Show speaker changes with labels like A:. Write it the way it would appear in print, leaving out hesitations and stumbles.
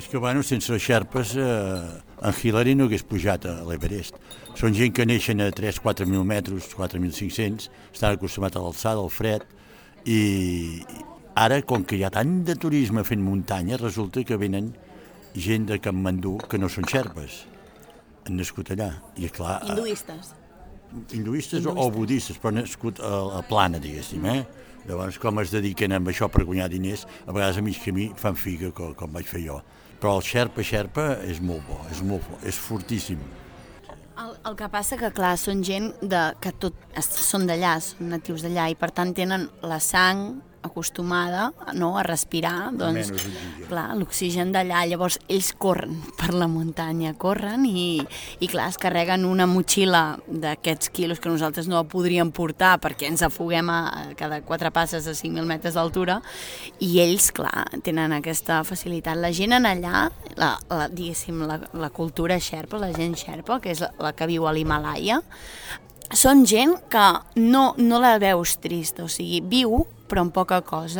A: És que, bueno, sense els xerpes, en Hillary no hagués pujat a l'Everest. Són gent que neixen a 3-4.000 metres, 4.500, estan acostumats a l'alçada, al fred, i ara, com que hi ha tant de turisme fent muntanya, resulta que venen gent de Katmandú que no són xerpes. Han nascut allà. I, clar, hinduistes o budistes, però han nascut a Plana, diguéssim, Llavors, com es dediquen a això per guanyar diners, a vegades a mig camí fan figa, com vaig fer jo. Però el xerpa és molt bo, és fortíssim.
B: El que passa que, clar, són gent que són d'allà, són natius d'allà, i per tant tenen la sang acostumada a respirar, doncs, clar, l'oxigen d'allà. Llavors ells corren per la muntanya, corren i clar, es carreguen una motxilla d'aquests quilos que nosaltres no podríem portar perquè ens afoguem a cada 4 passes a 5.000 metres d'altura, i ells, clar, tenen aquesta facilitat. La gent en allà, diguéssim, la cultura xerpa, la gent xerpa, que és la que viu a l'Himàlaia, són gent que no la veus trista, o sigui, viu però amb poca cosa.